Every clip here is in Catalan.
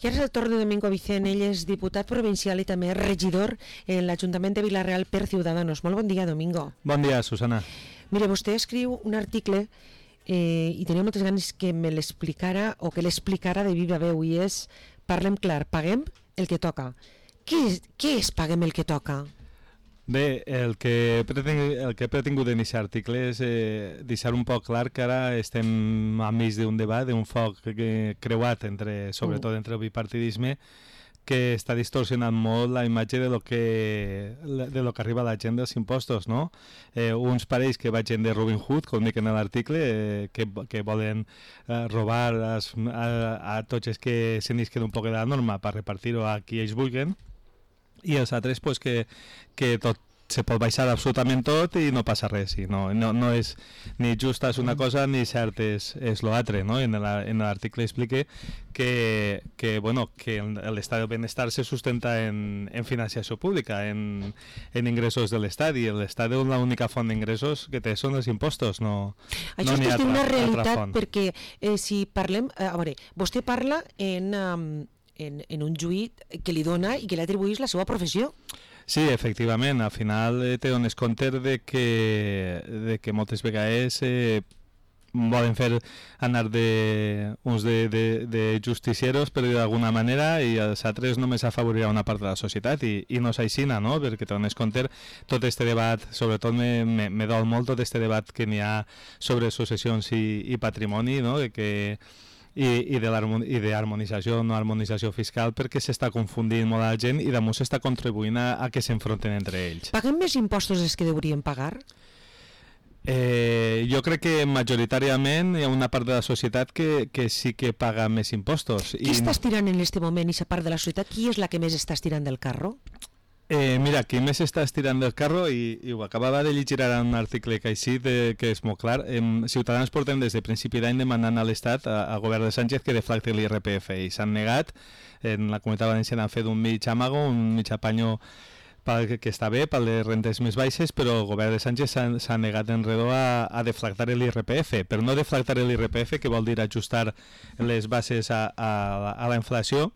I ara és el torn de Domingo Vicent, ell és diputat provincial i també regidor en l'Ajuntament de Vila-real per Ciudadanos. Molt bon dia, Domingo. Bon dia, Susana. Mire, vostè escriu un article i tenia moltes ganes que me l'explicara o que l'explicara de viva veu, i és, parlem clar, paguem el que toca. Què és paguem el que toca? Bé, el que he pretingut en aquest article és deixar un poc clar que ara estem enmig d'un debat, d'un foc creuat, sobretot entre el bipartidisme, que està distorsionant molt la imatge de lo que arriba a la gent dels impostos, no? Uns parells que vagin de Robin Hood, com dic en l'article, que volen robar a tots els que se n'isquen un poc de la norma per repartir-ho a qui ells vulguin, i els altres pues, que tot se pot baixar absolutament tot i no passa res, i no és ni justa és una cosa ni cert és l'altre, no? En l'article explique que l'estat del benestar se sustenta en financiació pública, en ingressos de l'estat, i l'estat és l'única font d'ingressos que té són els impostos, no això n'hi ha és una realitat altra font. Perquè si parlem, a veure, vostè parla en un juit que li dona i que li atribuïs la seva professió. Sí, efectivament, al final te dones compte de que moltes vegades volen fer anar uns de justicieros, per dir d'alguna manera, i els altres només afavorirà una part de la societat, i no és així, no? Perquè te dones compte tot aquest debat, sobretot me dol molt tot aquest debat que n'hi ha sobre successions i patrimoni, no? I d'harmonització o no harmonització fiscal, perquè s'està confundint molt la gent i damunt s'està contribuint a que s'enfronten entre ells. Paguem més impostos dels que deurien pagar? Jo crec que majoritàriament hi ha una part de la societat que sí que paga més impostos. Qui està estirant en aquest moment aquesta part de la societat? Qui és la que més està estirant del carro? Mira, qui més està estirant del carro, i ho acabava de llegir ara un article que així, que és molt clar, Ciutadans portem des de principi d'any demanant a l'Estat, al govern de Sánchez, que deflacti l'IRPF, i s'han negat. En la Comunitat Valenciana han fet un mig amago, un mig apanyo que està bé, per les rentes més baixes, però el govern de Sánchez s'ha negat en redó a deflactar l'IRPF, però no deflactar l'IRPF, que vol dir ajustar les bases a la inflació.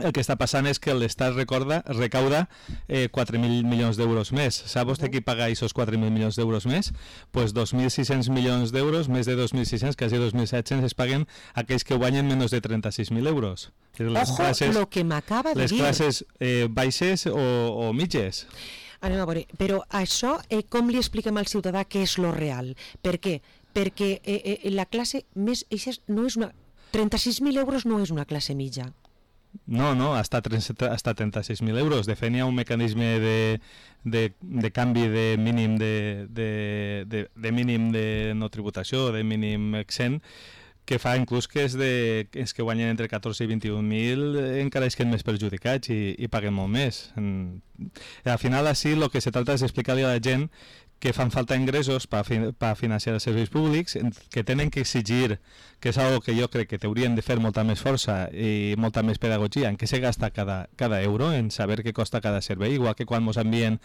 El que està passant és que l'Estat recauda 4.000 milions d'euros més. Sap vostè qui paga aquests 4.000 milions d'euros més? Doncs 2.600 milions d'euros, més de 2.600, quasi 2.700, es paguen aquells que guanyen menys de 36.000 euros. Ojo, lo que m'acaba de dir. Les classes baixes o mitges. Anem a veure, però això com li expliquem al ciutadà què és lo real? Per què? Perquè la classe més... 36.000 euros no és una classe mitja. No, hasta 36.000 euros. De fet, hi ha un mecanisme de canvi de mínim de mínim de no tributació, de mínim exempt, que fa inclús que els que guanyen entre 14 i 21.000 encara es queden més perjudicats i paguen molt més. Al final, així, el que se tracta és explicar-li a la gent que fan falta ingressos per financiar els serveis públics, que tenen que exigir, que és una cosa que jo crec que t'haurien de fer molta més força i molta més pedagogia, en què se gasta cada euro, en saber què costa cada servei, igual que quan ens envien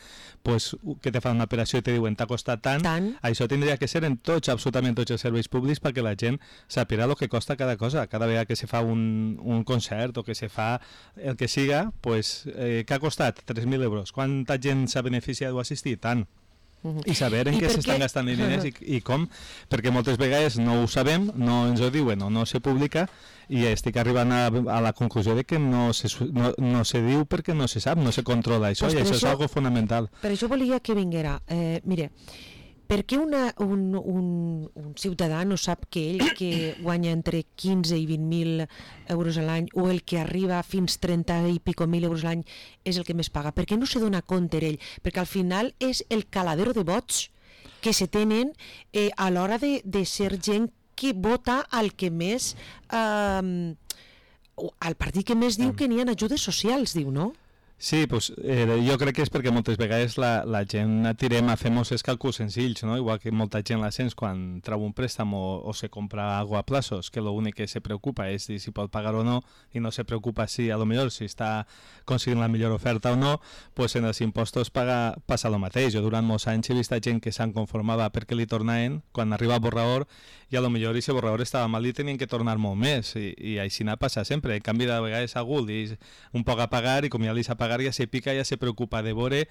que te fan una operació i te diuen t'ha costat tant, això tindria que ser en absolutament tots els serveis públics, perquè la gent sàpiga el que costa cada cosa. Cada vegada que se fa un concert o que se fa el que siga, què ha costat? 3.000 euros. Quanta gent s'ha beneficiat o assistit? Tant. I saber en què s'estan gastant els diners i com, perquè moltes vegades no ho sabem, no ens ho diuen o no se publica, i estic arribant a la conclusió de que no se diu perquè no se sap, no se controla això, i això és algo fonamental. Per això volia que vinguera. Mire, per què un ciutadà no sap que ell que guanya entre 15 i 20.000 euros a l'any, o el que arriba fins 30 i pico mil euros a l'any, és el que més paga? Per què no se dona compte ell? Perquè al final és el caladero de vots que se tenen a l'hora de ser gent que vota al que més... al partit que més diu que n'hi ha ajudes socials, diu, no? Sí, pues, jo crec que és perquè moltes vegades la gent tirem a fer molts càlculs senzills, no? Igual que molta gent la sents quan trau un préstec o se compra algo a plazos, que l'únic que se preocupa és si pot pagar o no, i no se preocupa si a lo millor si està aconseguint la millor oferta o no, pues en els impostos passa el mateix. Jo durant molts anys he vist gent que se'n conformava perquè li tornaven quan arriba el borrador, i a lo millor aquest borrador estava mal i tenien que tornar molt més, i així n'ha passat sempre. En canvi, de vegades algú li un poc a pagar, i com ja li s'ha pagar, ja se pica, ja se preocupa de veure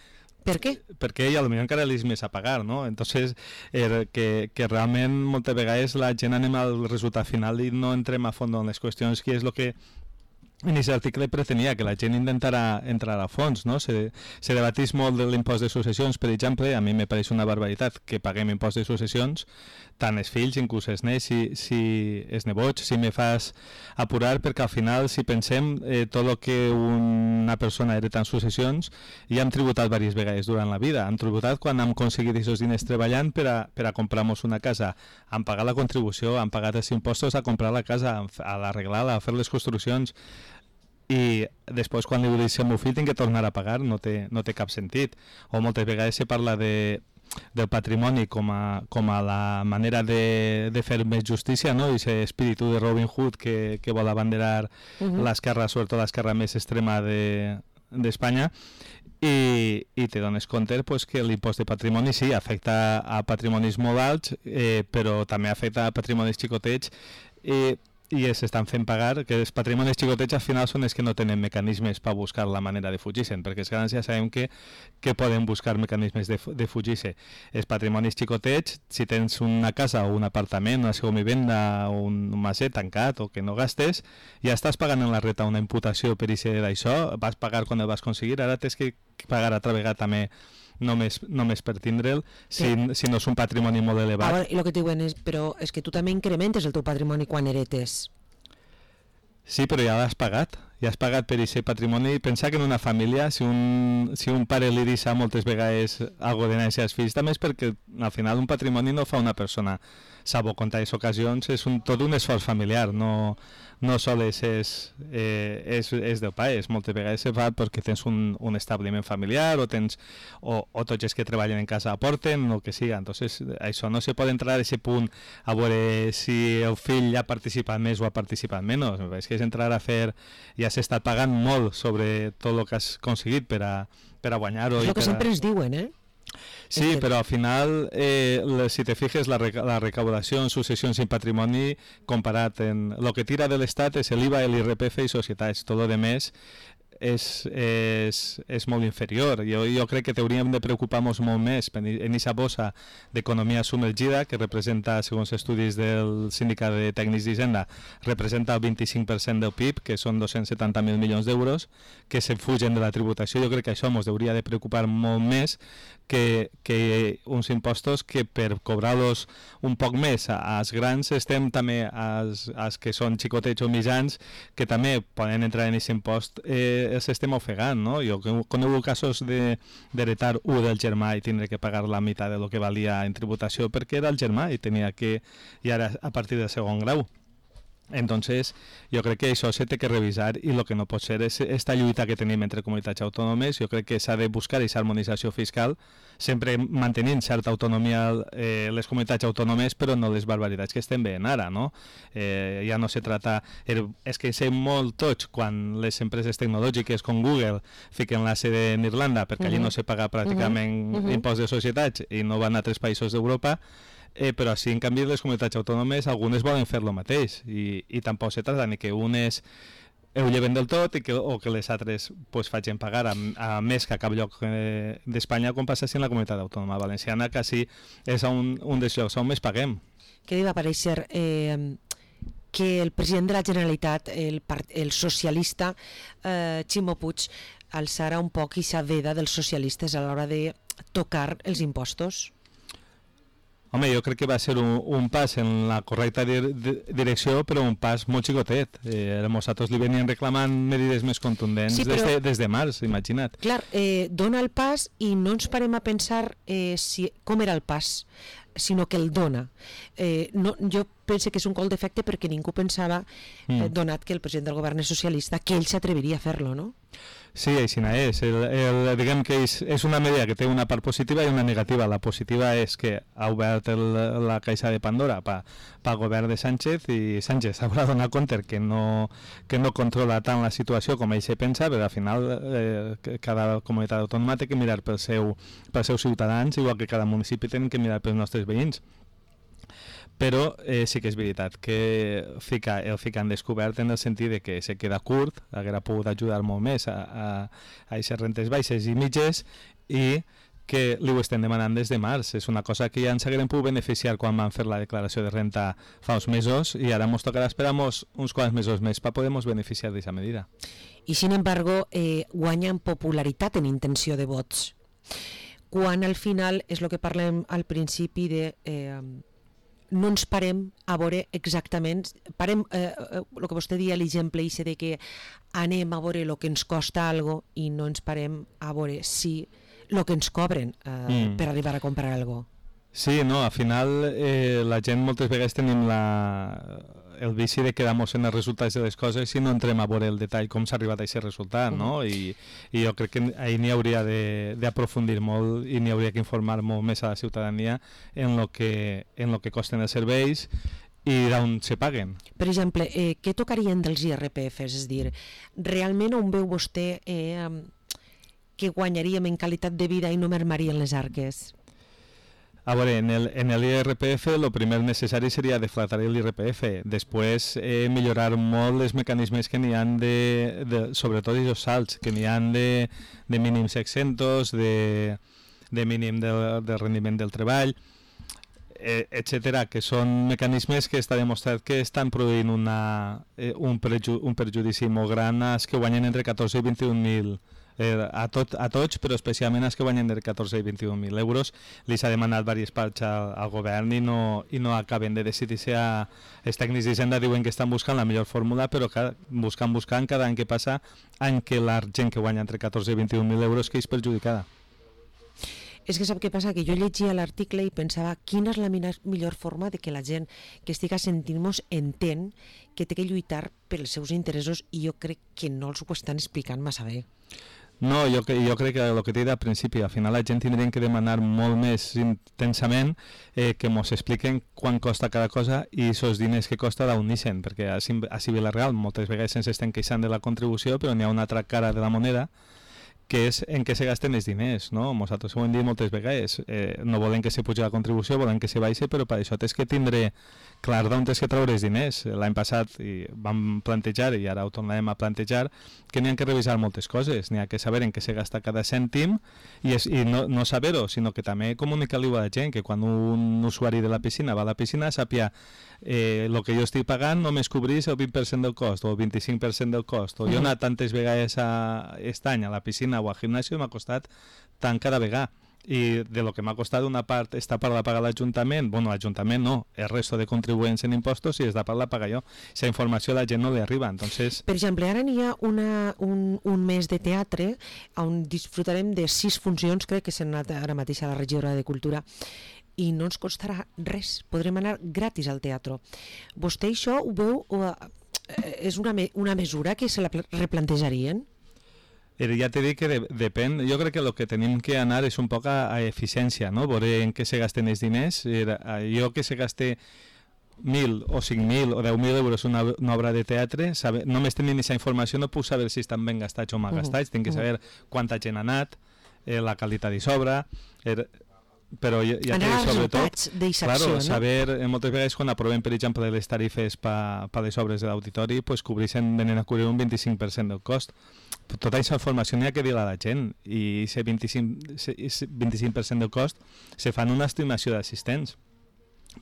per què? Perquè a lo millor encara li és més a pagar, no? Entonces, que realment moltes vegades la gent anem al resultat final i no entrem a fons en les qüestions, que és el que en aquest article pretenia, que la gent intentara entrar a fons, no? Se debatís molt de l'impost de successions, per exemple. A mi me pareix una barbaritat que paguem impost de successions, tant els fills, inclús els nets, si els nebots, si me fas apurar, perquè al final, si pensem, tot el que una persona hereta en successions, ja hem tributat diverses vegades durant la vida. Hem tributat quan hem aconseguit aquests diners treballant per a comprar-nos una casa. Hem pagat la contribució, hem pagat els impostos a comprar la casa, a l'arreglar-la, a fer les construccions, i després quan li dius al meu fill tinc que tornar a pagar, no té cap sentit. O moltes vegades se parla del patrimoni com a la manera de fer més justícia, no? I aquest espíritu de Robin Hood que vol abanderar l'esquerra, sobretot l'esquerra més extrema d'Espanya, i te dones compte pues, que l'impost de patrimoni sí, afecta a patrimonis molt alts, però també afecta a patrimonis xicotets, i s'estan fent pagar, que els patrimonis xicotets al final són els que no tenen mecanismes per buscar la manera de fugir-se'n, perquè els grans ja sabem que poden buscar mecanismes de fugir-se. Els patrimonis xicotets, si tens una casa o un apartament, una segona vivenda o un maset tancat o que no gastes, ja estàs pagant en la reta una imputació per això, vas pagar quan el vas aconseguir, ara tens que pagar altra vegada també només per tindre'l, si no és un patrimoni molt elevat. Ara, el que et diuen és, però és que tu també incrementes el teu patrimoni quan heretes. Sí, però ja l'has pagat per aquest patrimoni. Pensa que en una família, si un pare li deixa moltes vegades algo de néixer als fills, també és perquè al final un patrimoni no fa una persona, salvo comptades ocasions, és tot un esforç familiar, no sols és del pare, moltes vegades se fa perquè tens un establiment familiar o tots els que treballen en casa aporten, o el que siga. Entonces, això no se pot entrar a aquest punt a veure si el fill ha participat més o ha participat menys. És que és entrar a fer, ja s'ha estat pagant molt sobre tot el que has aconseguit per a guanyar-ho. És el que sempre ens diuen, Sí, però al final, si te fijes, la recaudació en successions i patrimoni, comparat en el que tira de l'Estat és l'IVA, l'IRPF i societats. Tot el més és molt inferior. Jo crec que hauríem de preocupar-nos molt més en aquesta bossa d'economia submergida, que representa, segons estudis del Sindicat de Tècnics d'Hisenda, representa el 25% del PIB, que són 270.000 milions d'euros, que se fugen de la tributació. Jo crec que això ens hauria de preocupar molt més que uns impostos que per cobrar-los un poc més als grans estem també als que són xicotets o mitjans, que també poden entrar en aquest impost, els estem ofegant, no? Jo conec casos d'heretar del germà i tindre que pagar la meitat de lo que valia en tributació perquè era el germà i tenia que, i ara a partir del segon grau. Entonces, jo crec que això s'ha de revisar, i el que no pot ser és esta lluita que tenim entre comunitats autònomes. Jo crec que s'ha de buscar aquesta harmonització fiscal, sempre mantenint certa autonomia les comunitats autònomes, però no les barbaritats que estem veient ara, no? Ja no se trata... És que sé molt tots quan les empreses tecnològiques com Google fiquen la sede en Irlanda, perquè allí no se paga pràcticament impost de societats i no van a altres països d'Europa, però sí, en canvi, les comunitats autònomes algunes volen fer lo mateix, i tampoc se trata ni que unes ho lleven del tot o que les altres facin pagar a més que a cap lloc d'Espanya, com passa en la comunitat autònoma valenciana, que sí és un dels llocs on més paguem. Què va aparèixer que el president de la Generalitat, el socialista Ximo Puig, alçara un poc aquesta veda dels socialistes a l'hora de tocar els impostos? Home, jo crec que va ser un pas en la correcta direcció, però un pas molt xicotet. Nosaltres li venien reclamant medides més contundents des de març, imagina't. Clar, dona el pas i no ens parem a pensar com era el pas. sinó que el dona. No, jo penso que és un col d'efecte perquè ningú pensava, donat que el president del govern és socialista, que ell s'atreviria a fer-lo, no? Sí, així és. Diguem que és una medida que té una part positiva i una negativa. La positiva és que ha obert la caixa de Pandora pel govern de Sánchez, i Sánchez haurà donat compte que no controla tant la situació com ell se pensa, però al final cada comunitat autònoma té que mirar pels seus ciutadans, igual que cada municipi té que mirar pels nostres veïns. Però sí que és veritat que el fica en descobert en el sentit de que se queda curt, haguera pogut ajudar molt més a aquestes rentes baixes i mitges, i que li ho estem demanant des de març. És una cosa que ja ens haguem pogut beneficiar quan vam fer la declaració de renta fa uns mesos, i ara ens tocarà esperar uns quants mesos més per poder beneficiar d'aquesta medida. I, sin embargo, guanya en popularitat, en intenció de vots. Quan al final és el que parlem al principi de... no ens parem a veure exactament, el que vostè dia l'exemple de que anem a veure el que ens costa algo i no ens parem a veure si el que ens cobren per arribar a comprar algo. Sí, no, al final la gent moltes vegades tenim el vici de quedar-nos en els resultats de les coses i no entrem a veure el detall com s'ha arribat a aquest resultat, no? I jo crec que ahir n'hi hauria d'aprofundir molt i n'hi hauria que informar molt més a la ciutadania en lo que costen els serveis i d'on se paguen. Per exemple, què tocarien dels IRPFs? És a dir, realment on veu vostè que guanyaríem en qualitat de vida i no mermarien les arques? A veure, en l'IRPF el primer necessari seria deflatar l'IRPF, després millorar molt els mecanismes que n'hi ha sobretot els salts, que n'hi ha de mínims exentos, de mínim del rendiment del treball, etc., que són mecanismes que està demostrat que estan produint un perjudici molt gran als que guanyen entre 14 i 21.000 a tots, però especialment als que guanyen entre 14 i 21.000 euros. Li s'ha demanat diverses parts al govern i no acaben de decidir-se. Els tècnics d'Hisenda diuen que estan buscant la millor fórmula, però buscant cada any que passa, any que la gent que guanya entre 14 i 21.000 euros que és perjudicada. És que sap què passa? Que jo llegia l'article i pensava quina és la millor forma de que la gent que estiga sentint-nos entén que té que lluitar pels seus interessos, i jo crec que no els ho estan explicant massa bé. No, jo crec que el que t'he dit al principi, al final la gent tindrien que demanar molt més intensament que ens expliquen quan costa cada cosa i els diners que costa d'on neixen, perquè a Vila-real moltes vegades ens estem queixant de la contribució, però n'hi ha una altra cara de la moneda, que és en què se gasten els diners, no? Nosaltres ho hem dit moltes vegades, no volem que se pugi la contribució, volem que se baixe, però per això tens que tindre clar d'on tens que treure els diners. L'any passat vam plantejar, i ara ho tornarem a plantejar, que n'hi ha que revisar moltes coses, n'hi ha que saber en què se gasta cada cèntim, i no saber-ho, sinó que també comunicar-li a la gent, que quan un usuari de la piscina va a la piscina sàpia el que jo estic pagant només cobrís el 20% del cost o el 25% del cost, o jo he anat tantes vegades aquest any a la piscina o al gimnàs i m'ha costat tant cada vegada, i de lo que m'ha costat una part està per la pagar l'Ajuntament, bueno, l'Ajuntament no, el resto de contribuents en impostos, i esta part la paga jo. Esa informació a la gent no li arriba, entonces... Per exemple, ara n'hi ha un mes de teatre on disfrutarem de 6 funcions, crec que s'han anat ara mateix a la regidora de Cultura, i no ens costarà res, podrem anar gratis al teatre. Vostè això ho veu, és una mesura que se la replantejarien? Ja t'he dit que depèn. Jo crec que el que tenim que anar és un poc a eficiència, no? Veure en què se gasten els diners. Jo que se gaste 1.000 o 5.000 o 10.000 euros una obra de teatre, només tenint aquesta informació no puc saber si estan ben gastats o mal gastats. Tinc que saber quanta gent ha anat, la qualitat i sobra, però ja té sobretot claro, saber, moltes vegades quan aprovem per exemple les tarifes per les obres de l'auditori, pues venen a cobrir un 25% del cost. Tota aquesta informació n'hi ha que dir a la gent, i aquest 25% del cost se fa en una estimació d'assistents,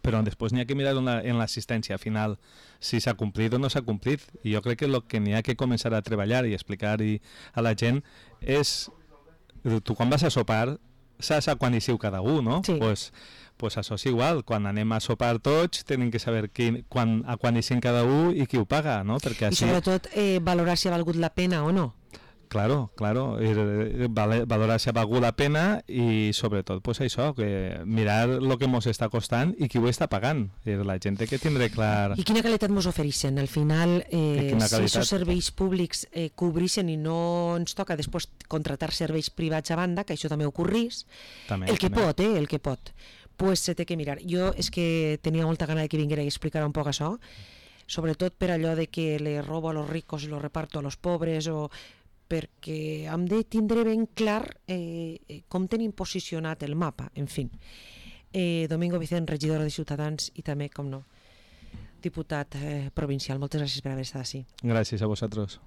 però després n'hi ha que mirar en l'assistència final si s'ha complit o no s'ha complit, i jo crec que el que n'hi ha que començar a treballar i explicar a la gent és, tu quan vas a sopar saps a quan hi siu cada un, no? Sí. Pues això és igual, quan anem a sopar tots tenim que saber a quan hi siu cada un i qui ho paga, no? Perquè I sobretot valorar si ha valgut la pena o no. Claro, valorar si ha valgut la pena i sobretot pues això, que mirar el que ens està costant i qui ho està pagant. La gent que tindrà clar... I quina qualitat ens ofereixen? Al final, si aquests serveis públics cobreixen i no ens toca després contratar serveis privats a banda, que això també ocorrís, el que pot, pues se té que mirar. Jo és que tenia molta gana de que vinguera i explicar un poc això, sobretot per allò de que le robo a los ricos i lo reparto a los pobres, o perquè hem de tindre ben clar com tenim posicionat el mapa, en fi. Domingo Vicent, regidor de Ciutadans i també, com no, diputat provincial. Moltes gràcies per haver estat així. Gràcies a vosaltres.